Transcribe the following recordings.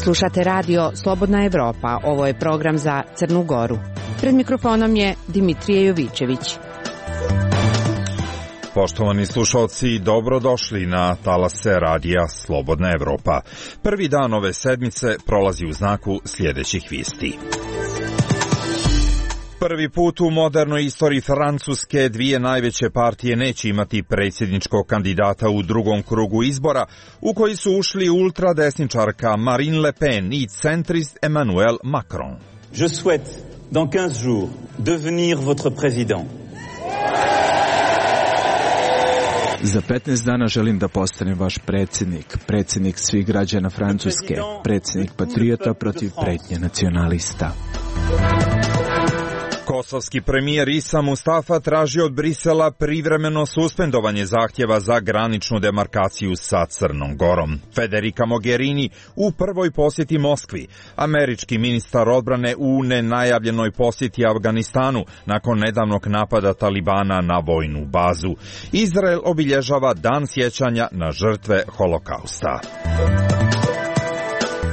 Slušate radio Slobodna Evropa, ovo je program za Crnu Goru. Pred mikrofonom je Dimitrije Jovićević. Poštovani slušalci, dobrodošli na talase radija Slobodna Evropa. Prvi dan ove sedmice prolazi u znaku sljedećih vijesti. Prvi put u modernoj istoriji Francuske dvije najveće partije neće imati predsjedničkog kandidata u drugom krugu izbora, u koji su ušli ultradesničarka Marine Le Pen i centrist Emmanuel Macron. Je souhaite dans 15 jours devenir votre président. Za 15 dana želim da postanem vaš predsjednik svih građana Francuske, predsjednik patriota protiv pretnje nacionalista. Kosovski premijer Isa Mustafa traži od Brisela privremeno suspendovanje zahtjeva za graničnu demarkaciju sa Crnom Gorom. Federica Mogherini u prvoj posjeti Moskvi. Američki ministar odbrane u nenajavljenoj posjeti Afganistanu nakon nedavnog napada Talibana na vojnu bazu. Izrael obilježava dan sjećanja na žrtve Holokausta.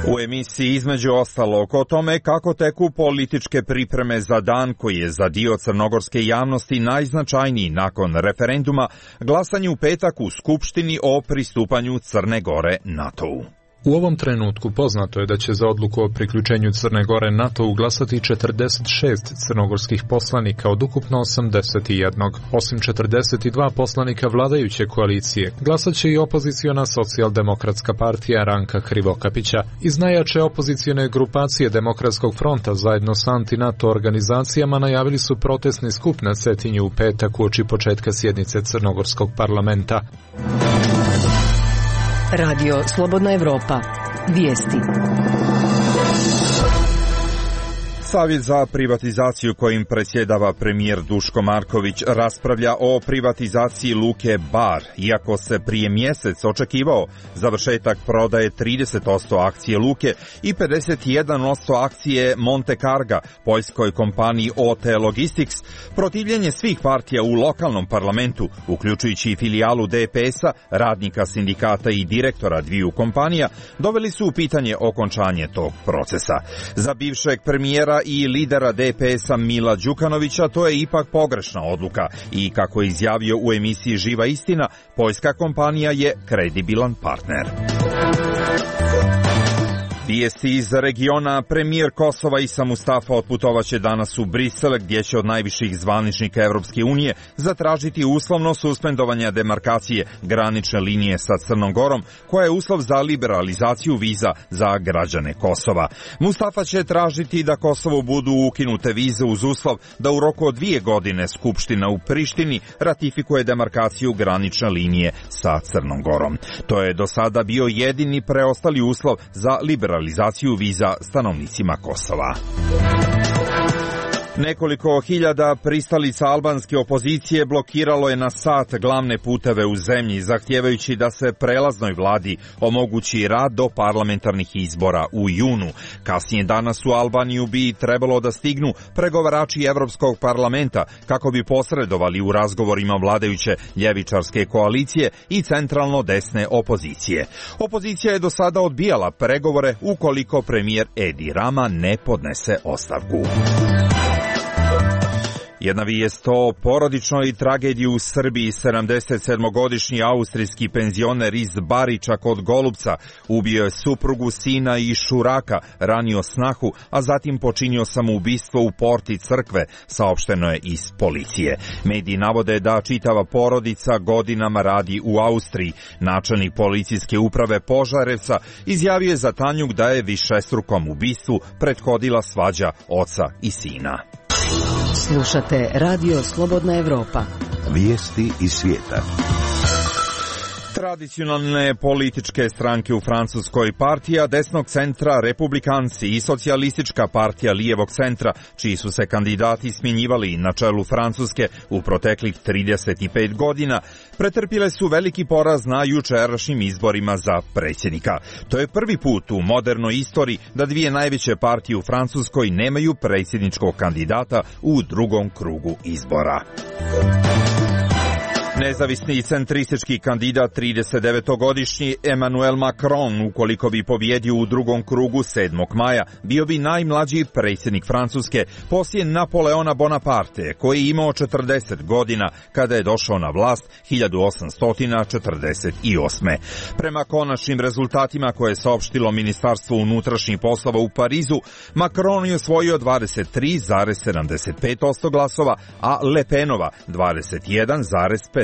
U emisiji između ostalog o tome kako teku političke pripreme za dan koji je za dio crnogorske javnosti najznačajniji nakon referenduma, glasanje u petak u Skupštini o pristupanju Crne Gore NATO-u. U ovom trenutku poznato je da će za odluku o priključenju Crne Gore NATO-u glasati 46 crnogorskih poslanika od ukupno 81. Osim 42 poslanika vladajuće koalicije, glasat će i opoziciona socijaldemokratska partija Ranka Krivokapića. Iz najjače opozicione grupacije Demokratskog fronta zajedno s anti-NATO organizacijama najavili su protestni skup na Cetinju u petak uoči početka sjednice Crnogorskog parlamenta. Radio Slobodna Evropa. Vijesti. Savjet za privatizaciju kojim predsjedava premijer Duško Marković raspravlja o privatizaciji luke Bar, iako se prije mjesec očekivao završetak prodaje 30% akcije luke i 51% akcije Monte Carga, poljskoj kompaniji OT Logistics. Protivljenje svih partija u lokalnom parlamentu, uključujući i filijalu DPS-a, radnika sindikata i direktora dviju kompanija, doveli su u pitanje okončanje tog procesa. Za bivšeg premijera i lidera DPS-a Mila Đukanovića to je ipak pogrešna odluka i, kako je izjavio u emisiji Živa istina, poljska kompanija je kredibilan partner. Vijesti iz regiona. Premijer Kosova Isa Mustafa otputovaće danas u Brisel, gdje će od najviših zvaničnika Evropske unije zatražiti uslovno suspendovanje demarkacije granične linije sa Crnom Gorom, koja je uslov za liberalizaciju viza za građane Kosova. Mustafa će tražiti da Kosovu budu ukinute vize uz uslov da u roku od 2 godine Skupština u Prištini ratifikuje demarkaciju granične linije sa Crnom Gorom. To je do sada bio jedini preostali uslov za liberalizaciju viza stanovnicima Kosova. Nekoliko hiljada pristalica albanske opozicije blokiralo je na sat glavne puteve u zemlji, zahtijevajući da se prelaznoj vladi omogući rad do parlamentarnih izbora u junu. Kasnije danas u Albaniju bi trebalo da stignu pregovarači Evropskog parlamenta kako bi posredovali u razgovorima vladajuće ljevičarske koalicije i centralno desne opozicije. Opozicija je do sada odbijala pregovore ukoliko premijer Edi Rama ne podnese ostavku. Jedna vijest o porodičnoj tragediji u Srbiji. 77-godišnji austrijski penzioner iz Bariča kod Golubca ubio je suprugu, sina i šuraka, ranio snahu, a zatim počinio samoubistvo u porti crkve, saopšteno je iz policije. Mediji navode da čitava porodica godinama radi u Austriji. Načelnik policijske uprave Požarevca izjavio je za Tanjug da je višestrukom ubistvu prethodila svađa oca i sina. Slušate Radio Slobodna Evropa. Vijesti iz svijeta. Tradicionalne političke stranke u Francuskoj, partija desnog centra, republikanci i socijalistička partija lijevog centra, čiji su se kandidati smjenjivali na čelu Francuske u proteklih 35 godina, pretrpile su veliki poraz na jučerašnjim izborima za predsjednika. To je prvi put u modernoj istoriji da dvije najveće partije u Francuskoj nemaju predsjedničkog kandidata u drugom krugu izbora. Nezavisni i centristički kandidat 39-godišnji Emmanuel Macron, ukoliko bi pobjedio u drugom krugu 7. maja, bio bi najmlađi predsjednik Francuske poslije Napoleona Bonaparte, koji je imao 40 godina kada je došao na vlast 1848. Prema konačnim rezultatima koje je saopštilo Ministarstvo unutrašnjih poslova u Parizu, Macron je osvojio 23,75% glasova, a Le Penova 21,53%.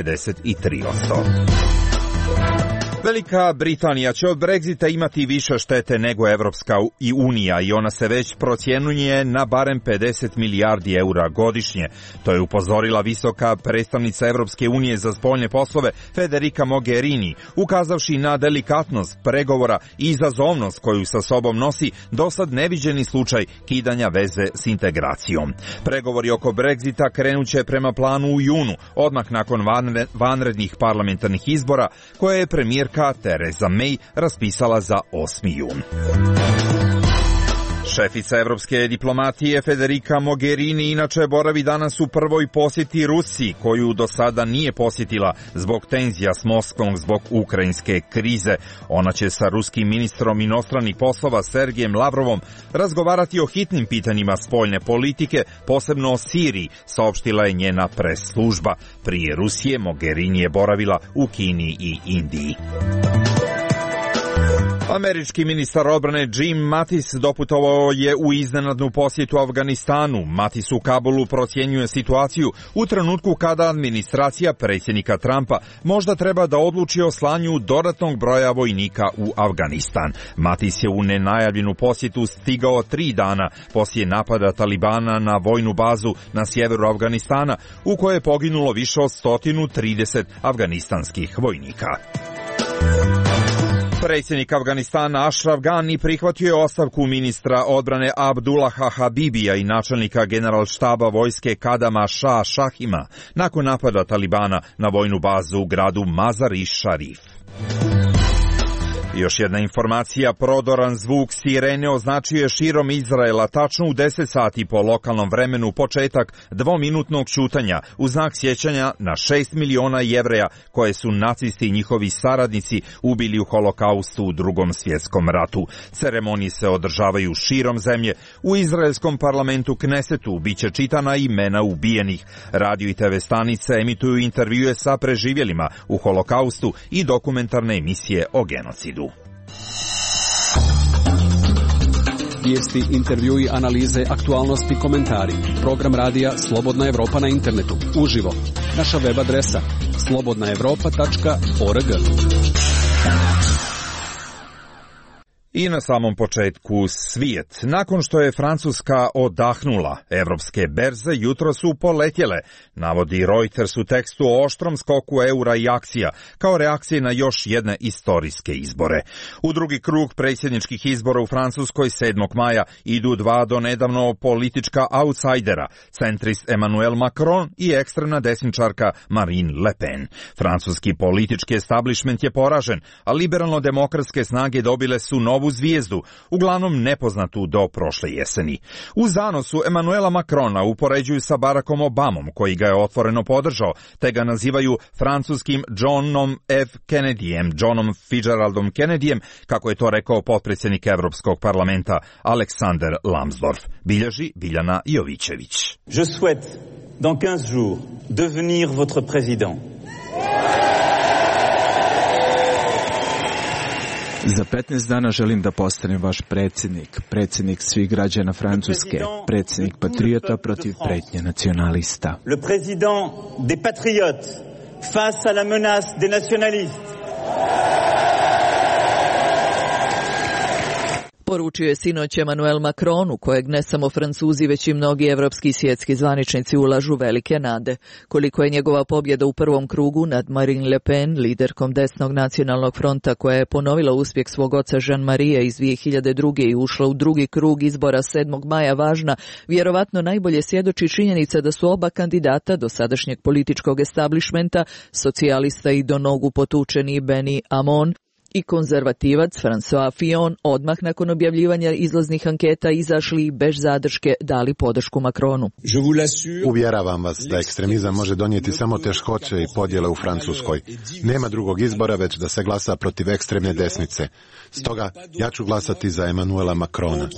Velika Britanija će od Brexita imati više štete nego Evropska unija i ona se već procjenjuje na barem 50 milijardi eura godišnje. To je upozorila visoka predstavnica Evropske unije za spoljne poslove Federica Mogherini, ukazavši na delikatnost pregovora i izazovnost koju sa sobom nosi dosad neviđeni slučaj kidanja veze s integracijom. Pregovori oko Brexita krenuće prema planu u junu, odmah nakon vanrednih parlamentarnih izbora koje je premijerka Theresa May raspisala za 8. jun. Šefica evropske diplomatije Federica Mogherini inače boravi danas u prvoj posjeti Rusiji, koju do sada nije posjetila zbog tenzija s Moskvom zbog ukrajinske krize. Ona će sa ruskim ministrom inostranih poslova Sergejem Lavrovom razgovarati o hitnim pitanjima spoljne politike, posebno o Siriji, saopštila je njena pres služba. Prije Rusije Mogherini je boravila u Kini i Indiji. Američki ministar odbrane Jim Mattis doputovao je u iznenadnu posjetu Afganistanu. Mattis u Kabulu procjenjuje situaciju u trenutku kada administracija predsjednika Trumpa možda treba da odluči o slanju dodatnog broja vojnika u Afganistan. Mattis je u nenajavljenu posjetu stigao 3 dana poslije napada Talibana na vojnu bazu na sjeveru Afganistana, u kojoj je poginulo više od 130 afganistanskih vojnika. Predsjednik Afganistana Ashraf Ghani prihvatio je ostavku ministra odbrane Abdullaha Habibija i načelnika generalštaba vojske Kadama Shah Shahima nakon napada Talibana na vojnu bazu u gradu Mazar-i Sharif. Još jedna informacija, prodoran zvuk sirene označio je širom Izraela tačno u 10 sati po lokalnom vremenu početak dvominutnog ćutanja u znak sjećanja na 6 miliona Jevreja koje su nacisti i njihovi saradnici ubili u Holokaustu u Drugom svjetskom ratu. Ceremonije se održavaju širom zemlje. U izraelskom parlamentu Knesetu biće čitana imena ubijenih. Radio i TV stanice emituju intervjue sa preživjelima u Holokaustu i dokumentarne emisije o genocidu. Vijesti, intervjui, analize, aktualnosti, komentari. Program radija Slobodna Evropa na internetu. Uživo. Naša web adresa slobodnaevropa.org. I na samom početku svijet. Nakon što je Francuska odahnula, evropske berze jutro su poletjele, navodi Reuters u tekstu o oštrom skoku eura i akcija, kao reakcije na još jedne istorijske izbore. U drugi krug predsjedničkih izbora u Francuskoj 7. maja idu dva donedavno politička outsidera, centrist Emmanuel Macron i ekstremna desničarka Marine Le Pen. Francuski politički establishment je poražen, a liberalno-demokratske snage dobile su novu zvijezdu, uglavnom nepoznatu do prošle jeseni. U zanosu Emmanuela Macrona upoređuju sa Barackom Obamom, koji ga je otvoreno podržao, te ga nazivaju francuskim Johnom F. Kennedyjem, Johnom Fitzgeraldom Kennedyjem, kako je to rekao potpredsjednik Evropskog parlamenta Aleksander Lambsdorff. Bilježi Biljana Jovićević. Je souhaite, dans 15 jours, devenir votre président. Za 15 dana želim da postanem vaš predsjednik, predsjednik svih građana Francuske, predsjednik patriota protiv pretnje nacionalista. Le président des patriotes face à la menace des nationalistes. Poručio je sinoć Emmanuel Macron, u kojeg ne samo Francuzi, već i mnogi evropski i svjetski zvaničnici ulažu velike nade. Koliko je njegova pobjeda u prvom krugu nad Marine Le Pen, liderkom desnog nacionalnog fronta, koja je ponovila uspjeh svog oca Jean-Marie iz 2002. i ušla u drugi krug izbora 7. maja važna, vjerovatno najbolje svjedoči činjenica da su oba kandidata do sadašnjeg političkog establishmenta, socijalista i do nogu potučeni Benny Hamon i konzervativac François Fillon odmah nakon objavljivanja izlaznih anketa izašli bez zadrške dali podršku Macronu. Uvjeravam vas da ekstremizam može donijeti samo teškoće i podjele u Francuskoj. Nema drugog izbora već da se glasa protiv ekstremne desnice. Stoga ja ću glasati za Emmanuela Macrona.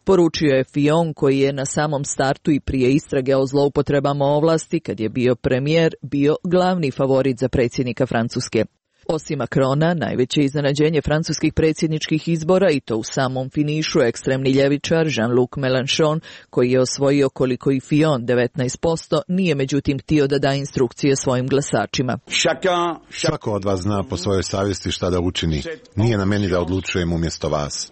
Poručio je Fillon, koji je na samom startu i prije istrage o zloupotrebama ovlasti, kad je bio premijer, bio glavni favorit za predsjednika Francuske. Osim Macrona, najveće iznenađenje francuskih predsjedničkih izbora, i to u samom finišu, ekstremni ljevičar Jean-Luc Mélenchon, koji je osvojio koliko i Fillon 19%, nije međutim htio da da instrukcije svojim glasačima. Svako od vas zna po svojoj savjesti šta da učini. Nije na meni da odlučujem umjesto vas.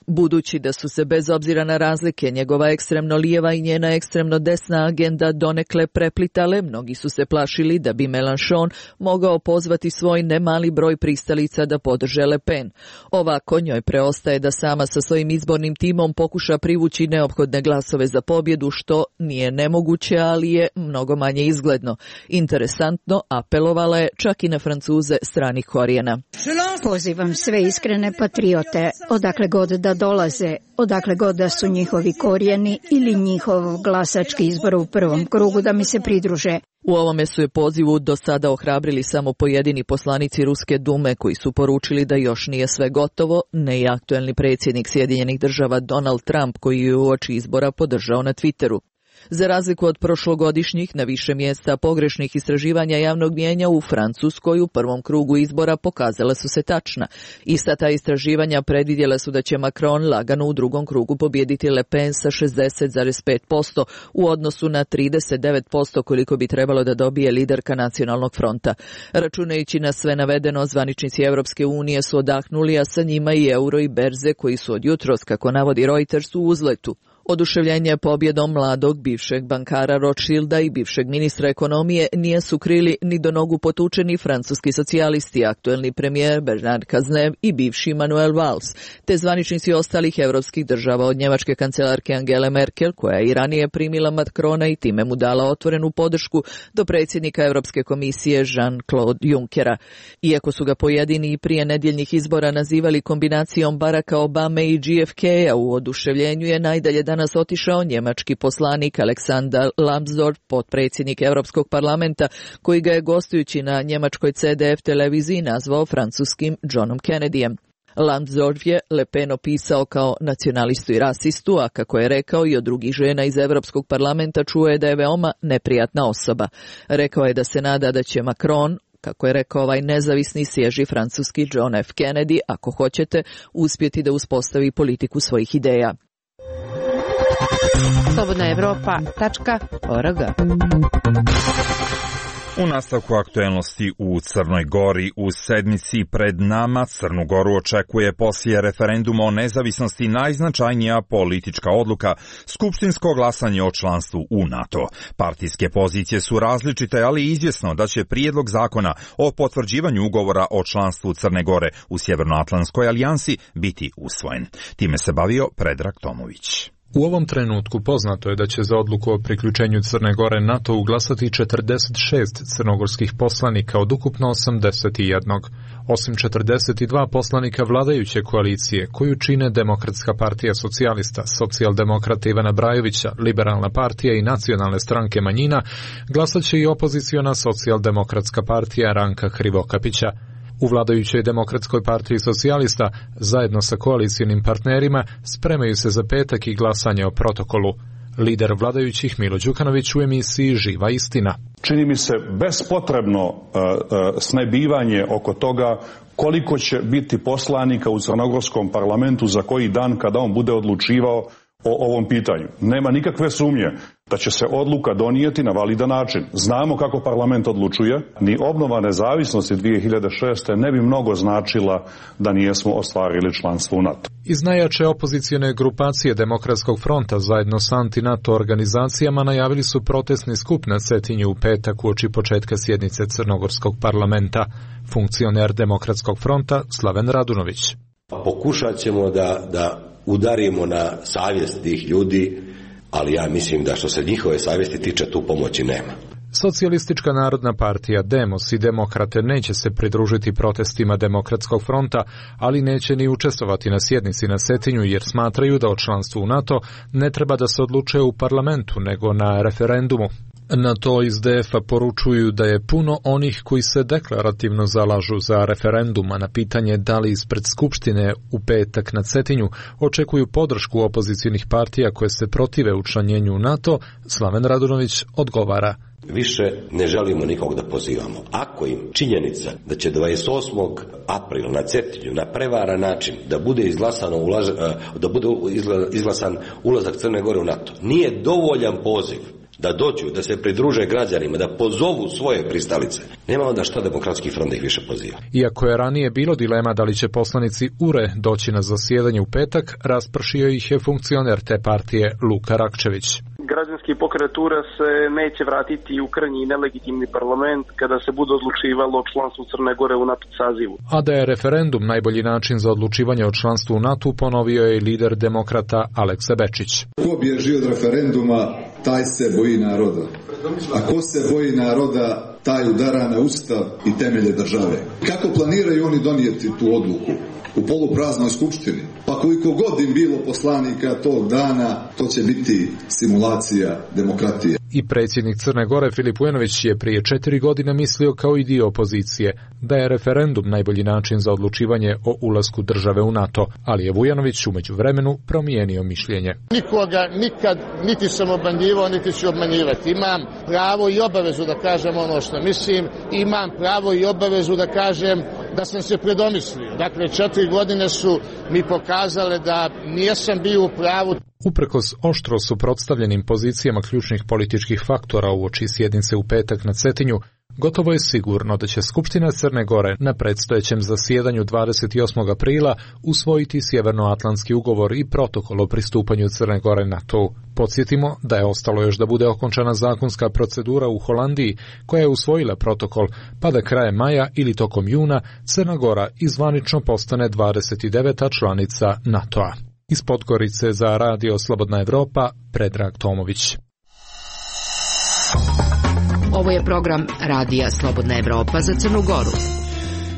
Budući da su se bez obzira na razlike njegova ekstremno lijeva i njena ekstremno desna agenda donekle preplitale, mnogi su se plašili da bi Mélenchon mogao pozvati svoj nemali broj pristalica da podrže Le Pen. Ovako njoj preostaje da sama sa svojim izbornim timom pokuša privući neophodne glasove za pobjedu, što nije nemoguće, ali je mnogo manje izgledno. Interesantno, apelovala je čak i na Francuze stranih korijena. Pozivam sve iskrene patriote, odakle god da dolaze, odakle god da su njihovi korijeni ili njihov glasački izbor u prvom krugu, da mi se pridruže. U ovome su je pozivu do sada ohrabrili samo pojedini poslanici Ruske dume, koji su poručili da još nije sve gotovo, ne i aktuelni predsjednik Sjedinjenih Država Donald Trump, koji je uoči izbora podržao na Twitteru. Za razliku od prošlogodišnjih, na više mjesta pogrešnih istraživanja javnog mnijenja u Francuskoj u prvom krugu izbora pokazala su se tačna. Ista ta istraživanja predvidjela su da će Macron lagano u drugom krugu pobijediti Le Pen sa 60,5% u odnosu na 39% koliko bi trebalo da dobije liderka Nacionalnog fronta. Računajući na sve navedeno, zvaničnici Europske unije su odahnuli, a sa njima i euro i berze, koji su od jutros, kako navodi Reuters, u uzletu. Oduševljenje pobjedom mladog bivšeg bankara Rothschilda i bivšeg ministra ekonomije nije su krili ni do nogu potučeni francuski socijalisti, aktuelni premijer Bernard Cazeneuve i bivši Manuel Valls, te zvaničnici ostalih europskih država, od njemačke kancelarke Angele Merkel, koja je i ranije primila Macrona i time mu dala otvorenu podršku, do predsjednika Europske komisije Jean-Claude Junckera. Iako su ga pojedini i prije nedjeljnih izbora nazivali kombinacijom Baracka Obame i JFK-a, u oduševljenju je najdalje danas otišao njemački poslanik Alexander Lambsdorff, potpredsjednik Europskog parlamenta, koji ga je gostujući na njemačkoj CDF televiziji nazvao francuskim Johnom Kennedyjem. Lambsdorff je Le Pen opisao kao nacionalistu i rasistu, a kako je rekao i od drugih žena iz Europskog parlamenta, čuje da je veoma neprijatna osoba. Rekao je da se nada da će Macron, kako je rekao ovaj nezavisni svježi francuski John F. Kennedy, ako hoćete, uspjeti da uspostavi politiku svojih ideja. slobodnaevropa.org. U nastavku aktuelnosti u Crnoj Gori, u sedmici pred nama Crnu Goru očekuje poslije referenduma o nezavisnosti najznačajnija politička odluka, skupštinsko glasanje o članstvu u NATO. Partijske pozicije su različite, ali izvjesno da će prijedlog zakona o potvrđivanju ugovora o članstvu Crne Gore u Sjevernoatlantskoj alijansi biti usvojen. Time se bavio Predrag Tomović. U ovom trenutku poznato je da će za odluku o priključenju Crne Gore NATO glasati 46 crnogorskih poslanika od ukupno 81. Osim 42 poslanika vladajuće koalicije, koju čine Demokratska partija socijalista, Socijaldemokrata Ivana Brajovića, Liberalna partija i Nacionalne stranke manjina, glasat će i opoziciona Socijaldemokratska partija Ranka Hrivokapića. U vladajućoj Demokratskoj partiji socijalista, zajedno sa koalicijnim partnerima, spremaju se za petak i glasanje o protokolu. Lider vladajućih Milo Đukanović u emisiji Živa istina. Čini mi se bespotrebno snebivanje oko toga koliko će biti poslanika u crnogorskom parlamentu za koji dan kada on bude odlučivao o ovom pitanju. Nema nikakve sumnje da će se odluka donijeti na validan način. Znamo kako parlament odlučuje. Ni obnova nezavisnosti 2006. ne bi mnogo značila da nijesmo ostvarili članstvo u NATO. Iz najjače opozicijone grupacije Demokratskog fronta zajedno s anti-NATO organizacijama najavili su protestni skup na Cetinju u petak uoči početka sjednice Crnogorskog parlamenta. Funkcioner Demokratskog fronta Slaven Radunović. Pokušat ćemo da udarimo na savjest tih ljudi, ali ja mislim da što se njihove savjesti tiče, tu pomoći nema. Socijalistička narodna partija Demos i Demokrate neće se pridružiti protestima Demokratskog fronta, ali neće ni učestvovati na sjednici na Cetinju jer smatraju da o članstvu u NATO ne treba da se odlučuje u parlamentu nego na referendumu. Na to iz DF-a poručuju da je puno onih koji se deklarativno zalažu za referendum, a na pitanje da li ispred Skupštine u petak na Cetinju očekuju podršku opozicijnih partija koje se protive učlanjenju u NATO, Slaven Radunović odgovara. Više ne želimo nikog da pozivamo. Ako im činjenica da će 28. aprila na Cetinju na prevaran način da bude izglasan ulazak Crne Gore u NATO, nije dovoljan poziv da dođu, da se pridruže građanima, da pozovu svoje pristalice, nema onda šta Demokratski front da ih više poziva. Iako je ranije bilo dilema da li će poslanici URE doći na zasjedanje u petak, raspršio ih je funkcioner te partije Luka Rakčević. Građanski pokret URE se neće vratiti u krnji nelegitimni parlament kada se bude odlučivalo o članstvu Crne Gore u NATO sazivu. A da je referendum najbolji način za odlučivanje o članstvu u NATO, ponovio je i lider Demokrata Aleksa Bečić. Ko bježi od referenduma, taj se boji naroda. A ko se boji naroda, taj udara na ustav i temelje države. Kako planiraju oni donijeti tu odluku? U polupraznoj skupštini. Pa koliko god im bilo poslanika tog dana, to će biti simulacija demokratije. I predsjednik Crne Gore Filip Vujanović je prije 4 godine mislio kao i dio opozicije da je referendum najbolji način za odlučivanje o ulasku države u NATO, ali je Vujanović u međuvremenu promijenio mišljenje. Nikoga nikad niti sam obmanjivao, niti ću obmanjivati. Imam pravo i obavezu da kažem ono što mislim, imam pravo i obavezu da kažem da sam se predomislio. Dakle, 4 godine su mi pokazale da nisam bio u pravu. Uprkos oštro suprotstavljenim pozicijama ključnih političkih faktora uoči sjednice u petak na Cetinju, gotovo je sigurno da će Skupština Crne Gore na predstojećem zasjedanju 28. aprila usvojiti Sjevernoatlantski ugovor i protokol o pristupanju Crne Gore NATO. Podsjetimo da je ostalo još da bude okončana zakonska procedura u Holandiji koja je usvojila protokol, pa da krajem maja ili tokom juna Crna Gora izvanično postane 29. članica NATO-a. Iz Podgorice za Radio Slobodna Evropa, Predrag Tomović. Ovo je program Radija Slobodna Evropa za Crnu Goru.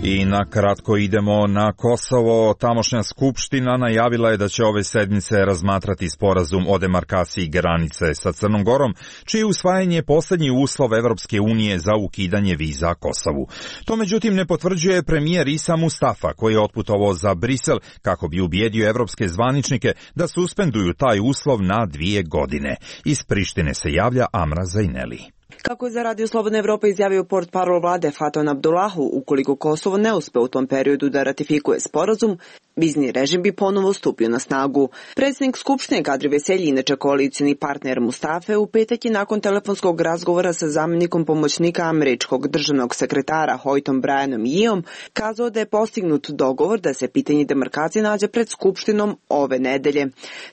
I na kratko idemo na Kosovo. Tamošnja skupština najavila je da će ove sedmice razmatrati sporazum o demarkaciji granice sa Crnom Gorom, čije usvajanje je posljednji uslov Evropske unije za ukidanje viza Kosovu. To međutim ne potvrđuje premijer Isa Mustafa, koji je otputovao za Brisel kako bi ubijedio evropske zvaničnike da suspenduju taj uslov na 2 godine. Iz Prištine se javlja Amra Zajneli. Kako je za Radio Slobodna Evropa izjavio portparol vlade Faton Abdullahu, ukoliko Kosovo ne uspe u tom periodu da ratifikuje sporazum, vizni režim bi ponovo stupio na snagu. Predsjednik Skupštine Kadri Veselji, inače koalicijni partner Mustafe, u petak je nakon telefonskog razgovora sa zamjenikom pomoćnika američkog državnog sekretara Hoytom Brianom Yeom kazao da je postignut dogovor da se pitanje demarkacije nađe pred Skupštinom ove nedelje.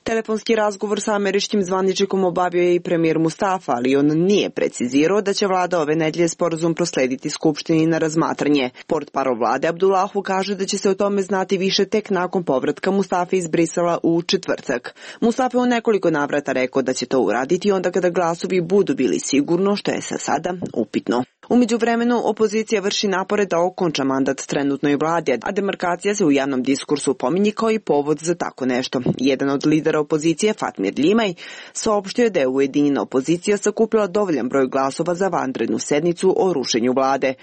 Telefonski razgovor sa američkim zvaničnikom obavio je i premijer Mustafa, ali on nije precizirao da će vlada ove nedelje sporazum proslediti Skupštini na razmatranje. Portparol vlade Abdullahu kaže da će se o tome znati više tek nakon povratka Mustafe iz Brisela u četvrtak. Mustafa u nekoliko navrata rekao da će to uraditi onda kada glasovi budu bili sigurno, što je sa sada upitno. U međuvremenu opozicija vrši napore da okonča mandat trenutnoj vladi, a demarkacija se u javnom diskursu pominje kao i povod za tako nešto. Jedan od lidera opozicije, Fatmir Limaj, saopštio je da je ujedinjena opozicija sakupila dovoljan broj glasova za vanrednu sednicu o rušenju vlade.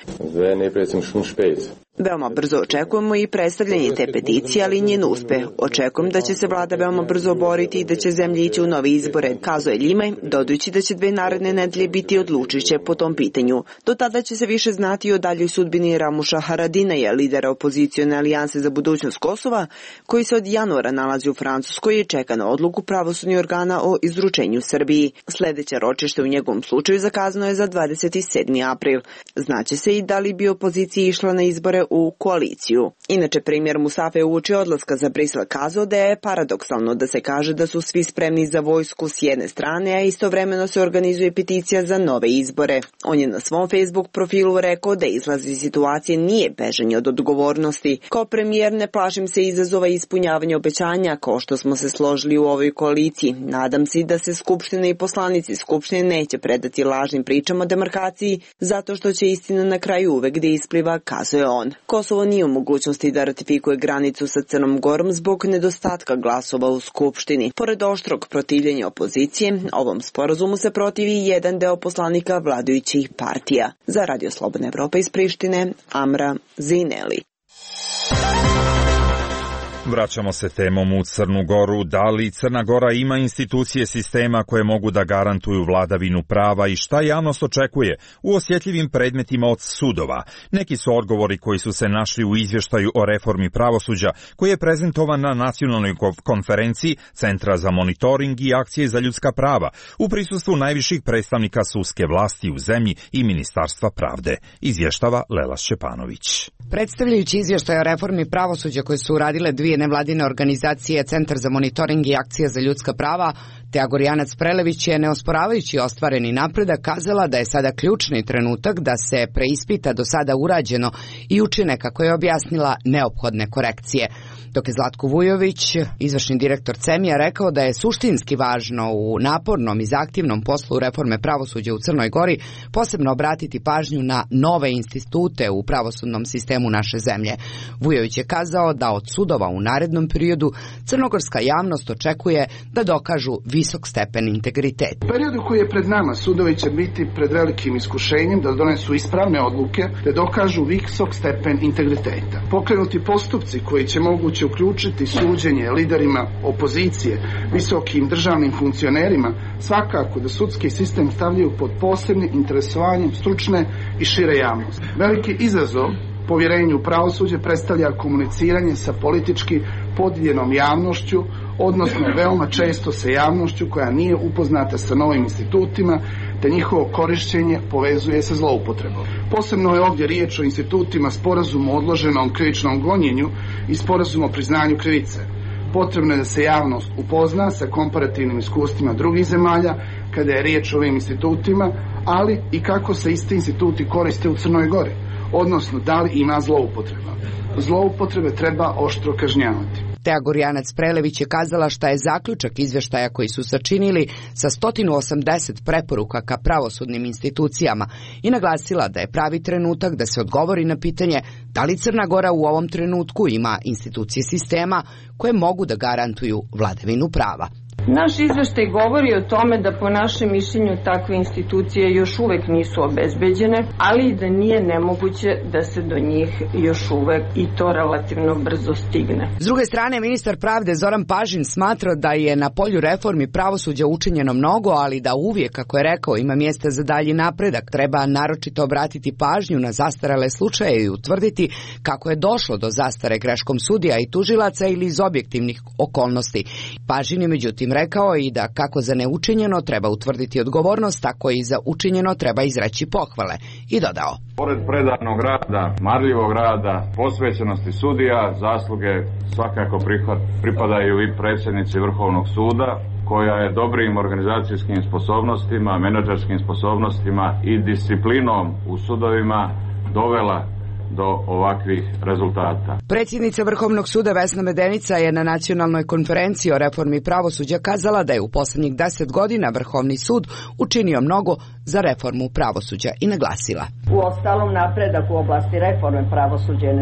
Veoma brzo očekujemo i predstavljanje te peticije, ali njen uspeh. Očekujem da će se vlada veoma brzo boriti i da će zemlja ići u nove izbore, kazao je Limaj, dodajući da će 2 naredne nedelje biti odlučujuće po tom pitanju. Do tada će se više znati o daljoj sudbini Ramuša Haradinaja, lidera opozicione alijanse za budućnost Kosova, koji se od januara nalazi u Francuskoj i čeka na odluku pravosudnih organa o izručenju Srbiji. Sljedeće ročište u njegovom slučaju zakazano je za 27. april. Znaće se i da li bi opozicija išla na izbore u koaliciju. Inače, premijer Mustafa je uoči odlaska za Brisel kazao da je paradoksalno da se kaže da su svi spremni za vojsku s jedne strane, a istovremeno se organizuje peticija za nove izbore. On je na svom Facebook Facebook profilu rekao da izlaz iz situacije nije bežanje od odgovornosti. Kao premijer ne plašim se izazova i ispunjavanja obećanja, kao što smo se složili u ovoj koaliciji. Nadam se da se Skupština i poslanici Skupštine neće predati lažnim pričama o demarkaciji, zato što će istina na kraju uvek da ispliva, kazuje on. Kosovo nije u mogućnosti da ratifikuje granicu sa Crnom Gorom zbog nedostatka glasova u Skupštini. Pored oštrog protivljenja opozicije, ovom sporazumu se protivi jedan deo poslanika vladajućih partija. Za Radio Slobodna Evropa iz Prištine, Amra Zineli. Vraćamo se temom u Crnu Goru. Da li Crna Gora ima institucije sistema koje mogu da garantuju vladavinu prava i šta javnost očekuje u osjetljivim predmetima od sudova? Neki su odgovori koji su se našli u izvještaju o reformi pravosuđa koji je prezentovan na nacionalnoj konferenciji Centra za monitoring i akcije za ljudska prava u prisustvu najviših predstavnika sudske vlasti u zemlji i Ministarstva pravde, izvještava Lela Šćepanović. Predstavljajući izvještaj o reformi pravosuđa koje su uradile dvije nevladine organizacije Centar za monitoring i akcija za ljudska prava, Teja Gorjanac-Prelević je, neosporavajući ostvareni napredak, kazala da je sada ključni trenutak da se preispita do sada urađeno i učine, kako je objasnila, neophodne korekcije. Dok je Zlatko Vujović, izvršni direktor CEMI-a, rekao da je suštinski važno u napornom i zahtjevnom poslu reforme pravosuđa u Crnoj Gori posebno obratiti pažnju na nove institute u pravosudnom sistemu naše zemlje. Vujović je kazao da od sudova u narednom periodu crnogorska javnost očekuje da dokažu visok stepen integriteta. U periodu koji je pred nama sudovi će biti pred velikim iskušenjem da donesu ispravne odluke te dokažu visok stepen integriteta. Pokrenuti postupci koji će moguće uključiti suđenje liderima opozicije, visokim državnim funkcionerima, svakako da sudski sistem stavljaju pod posebnim interesovanjem stručne i šire javnosti. Veliki izazov povjerenju u pravosuđe predstavlja komuniciranje sa politički podijeljenom javnošću, odnosno veoma često sa javnošću koja nije upoznata sa novim institutima, te njihovo korišćenje povezuje se zloupotrebom. Posebno je ovdje riječ o institutima sporazuma o odloženom krivičnom gonjenju i sporazuma o priznanju krivice. Potrebno je da se javnost upozna sa komparativnim iskustvima drugih zemalja kada je riječ o ovim institutima, ali i kako se isti instituti koriste u Crnoj Gori, odnosno da li ima zloupotreba. Zloupotrebe treba oštro kažnjavati. Teja Gorjanac-Prelević je kazala šta je zaključak izvještaja koji su sačinili sa 180 preporuka ka pravosudnim institucijama i naglasila da je pravi trenutak da se odgovori na pitanje da li Crna Gora u ovom trenutku ima institucije sistema koje mogu da garantuju vladavinu prava. Naš izveštaj govori o tome da po našem mišljenju takve institucije još uvek nisu obezbeđene, ali i da nije nemoguće da se do njih još uvek i to relativno brzo stigne. S druge strane, ministar pravde Zoran Pažin smatra da je na polju reformi pravosuđa učinjeno mnogo, ali da uvijek, kako je rekao, ima mjesta za dalji napredak. Treba naročito obratiti pažnju na zastarele slučaje i utvrditi kako je došlo do zastare greškom sudija i tužilaca ili iz objektivnih okolnosti. Pažin je međutim rekao i da kako za neučinjeno treba utvrditi odgovornost, tako i za učinjeno treba izreći pohvale. I dodao: pored predanog rada, marljivog rada, posvećenosti sudija, zasluge svakako pripadaju i predsjednici Vrhovnog suda, koja je dobrim organizacijskim sposobnostima, menadžerskim sposobnostima i disciplinom u sudovima dovela do ovakvih rezultata. Predsjednica Vrhovnog suda Vesna Medenica je na nacionalnoj konferenciji o reformi pravosuđa kazala da je u posljednjih 10 godina Vrhovni sud učinio mnogo za reformu pravosuđa i naglasila: u ostalom napredak u oblasti reforme pravosuđa je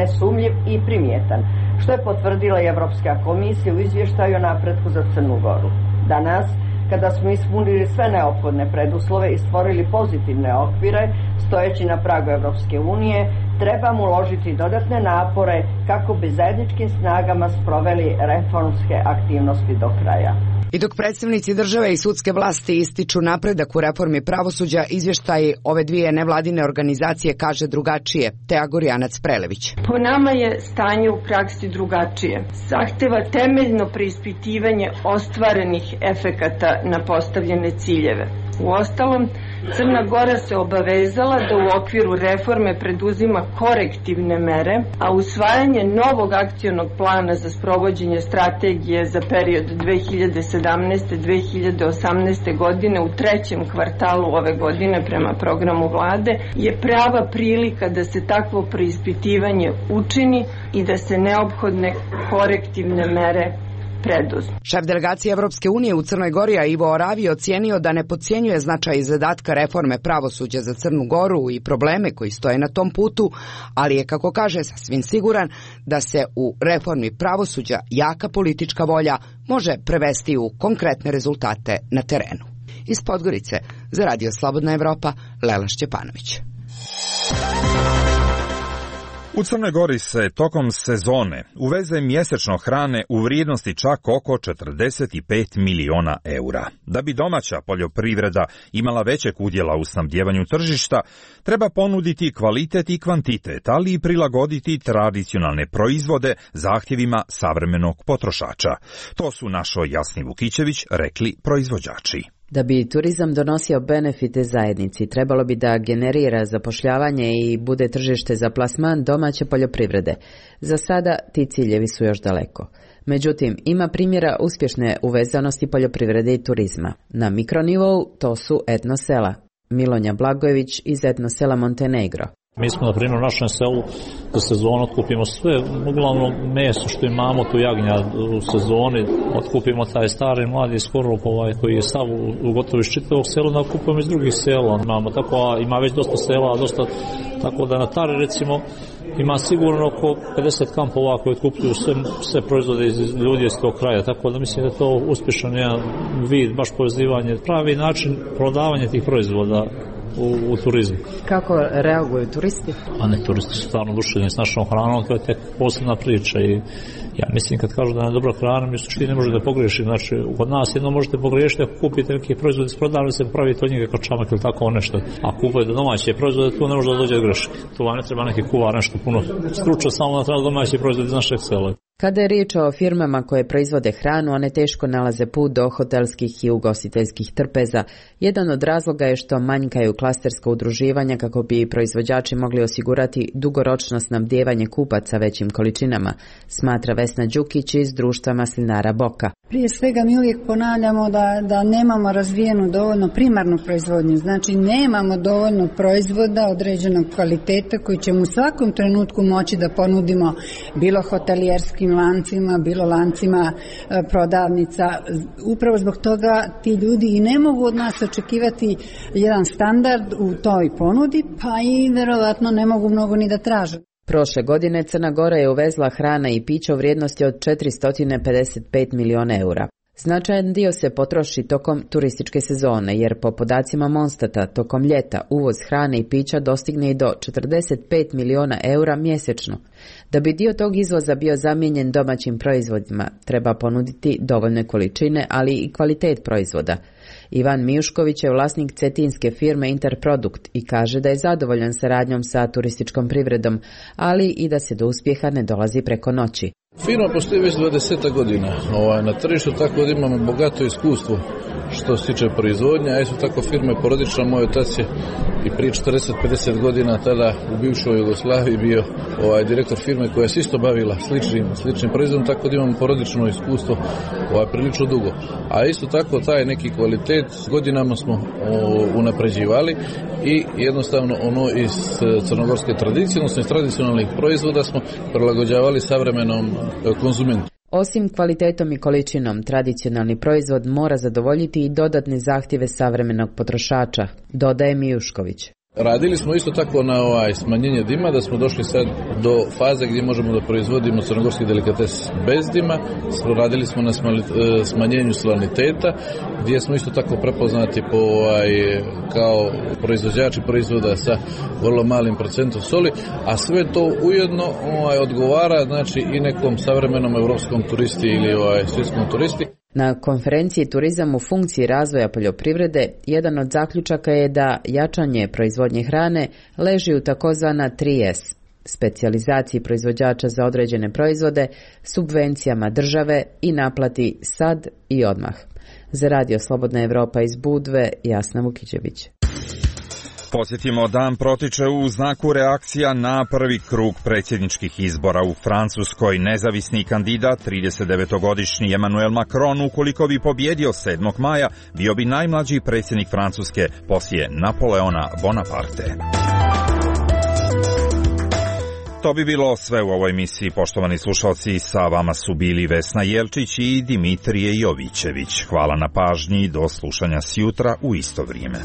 nesumnjiv i primjetan, što je potvrdila i Evropska komisija u izvještaju o napretku za Crnu Goru. Danas, kada smo ispunili sve neophodne preduslove i stvorili pozitivne okvire, stojeći na pragu Evropske unije, trebamo uložiti dodatne napore kako bi zajedničkim snagama sproveli reformske aktivnosti do kraja. I dok predstavnici države i sudske vlasti ističu napredak u reformi pravosuđa, izvještaj ove dvije nevladine organizacije kaže drugačije. Teja Gorjanac-Prelević: po nama je stanje u praksi drugačije. Zahteva temeljno preispitivanje ostvarenih efekata na postavljene ciljeve. Uostalom, Crna Gora se obavezala da u okviru reforme preduzima korektivne mere, a usvajanje novog akcionog plana za sprovođenje strategije za period 2017. 2017-2018. godine u trećem kvartalu ove godine prema programu vlade je prava prilika da se takvo preispitivanje učini i da se neophodne korektivne mere preduzmu. Šef delegacije Evropske unije u Crnoj Gori Ivo Oravi ocijenio da ne podcjenjuje značaj i zadatka reforme pravosuđa za Crnu Goru i probleme koji stoje na tom putu, ali je, kako kaže, sasvim siguran da se u reformi pravosuđa jaka politička volja može prevesti u konkretne rezultate na terenu. Iz Podgorice za Radio Slobodna Evropa, Lela Šćepanović. U Crnoj Gori se tokom sezone uveze mjesečno hrane u vrijednosti čak oko 45 miliona eura. Da bi domaća poljoprivreda imala većeg udjela u snabdjevanju tržišta, treba ponuditi kvalitet i kvantitet, ali i prilagoditi tradicionalne proizvode zahtjevima savremenog potrošača. To su našo Jasni Vukićević rekli proizvođači. Da bi turizam donosio benefite zajednici, trebalo bi da generira zapošljavanje i bude tržište za plasman domaće poljoprivrede. Za sada ti ciljevi su još daleko. Međutim, ima primjera uspješne uvezanosti poljoprivrede i turizma. Na mikronivou to su etnosela. Milonja Blagojević iz etnosela Montenegro. Mi smo, na primjer, u našem selu za sezonu otkupimo sve, uglavnom meso što imamo, tu jagnja u sezoni, otkupimo taj stari mladi skorop koji je sav u gotovo iz čitavog sela, da kupujemo iz drugih sela. Ima već dosta sela, tako da na Tari recimo ima sigurno oko 50 kampova koji otkupljuju sve proizvode iz ljudi iz tog kraja, tako da mislim da je to uspješan jedan vid, baš povezivanje, pravi način prodavanja tih proizvoda u turizmu. Kako reaguju turisti? A ne, turisti su stvarno oduševljeni s našom hranom, to je tek posebna priča i ja mislim kad kažu da je dobra hrana, mi suštini ne može da pogriješi. Znači, kod nas jedno možete pogriješiti ako kupite neki proizvod iz prodavnice, se pravite od njega kao čamak ili tako nešto. A kupujete domaće proizvode, tu ne može da dođe do greške. Tu vam ne treba neki kuvar, nešto puno struča, samo da treba domaći proizvod iz našeg sela. Kada je riječ o firmama koje proizvode hranu, one teško nalaze put do hotelskih i ugostiteljskih trpeza. Jedan od razloga je što manjkaju klasterska udruživanja kako bi proizvođači mogli osigurati dugoročno snabdijevanje kupaca većim količinama, smatra Vesna Đukić iz društva maslinara Boka. Prije svega mi uvijek ponavljamo da nemamo razvijenu dovoljno primarnu proizvodnju, znači nemamo dovoljno proizvoda određenog kvaliteta koji ćemo u svakom trenutku moći da ponudimo bilo hotelijerskim lancima, bilo lancima prodavnica. Upravo zbog toga ti ljudi i ne mogu od nas očekivati jedan standard u toj ponudi, pa i verovatno ne mogu mnogo ni da traže. Prošle godine Crna Gora je uvezla hrana i pića u vrijednosti od 455 miliona eura. Značajan dio se potroši tokom turističke sezone, jer po podacima Monstata tokom ljeta uvoz hrane i pića dostigne i do 45 miliona eura mjesečno. Da bi dio tog izvoza bio zamijenjen domaćim proizvodima, treba ponuditi dovoljne količine, ali i kvalitet proizvoda. Ivan Mijušković je vlasnik cetinske firme Interprodukt i kaže da je zadovoljan saradnjom sa turističkom privredom, ali i da se do uspjeha ne dolazi preko noći. Firma postoji već 20 godina na tržištu, tako da imamo bogato iskustvo što se tiče proizvodnja, a isto tako firma je porodična. Moj otac je i prije 40-50 godina tada u bivšoj Jugoslaviji bio direktor firme koja se isto bavila sličnim proizvodom, tako da imamo porodično iskustvo prilično dugo. A isto tako taj neki kvalitet godinama smo unapređivali i jednostavno ono iz crnogorske tradicije, odnosno iz tradicionalnih proizvoda smo prilagođavali savremenom konzumentu. Osim kvalitetom i količinom, tradicionalni proizvod mora zadovoljiti i dodatne zahtjeve savremenog potrošača, dodaje Mijušković. Radili smo isto tako na smanjenje dima, da smo došli sad do faze gdje možemo da proizvodimo crnogorski delikates bez dima. Radili smo na smanjenju saliniteta, gdje smo isto tako prepoznati kao proizvođači proizvoda sa vrlo malim procentom soli, a sve to ujedno odgovara znači i nekom savremenom europskom turisti ili svjetskom turisti. Na konferenciji Turizam u funkciji razvoja poljoprivrede jedan od zaključaka je da jačanje proizvodnje hrane leži u takozvana 3S, specijalizaciji proizvođača za određene proizvode, subvencijama države i naplati sad i odmah. Za Radio Slobodna Evropa iz Budve, Jasna Vukićević. Podsjetimo, dan protiče u znaku reakcija na prvi krug predsjedničkih izbora u Francuskoj. Nezavisni kandidat, 39-godišnji Emmanuel Macron, ukoliko bi pobjedio 7. maja, bio bi najmlađi predsjednik Francuske poslije Napoleona Bonaparte. To bi bilo sve u ovoj emisiji, poštovani slušalci. Sa vama su bili Vesna Jelčić i Dimitrije Jovićević. Hvala na pažnji, do slušanja sjutra u isto vrijeme.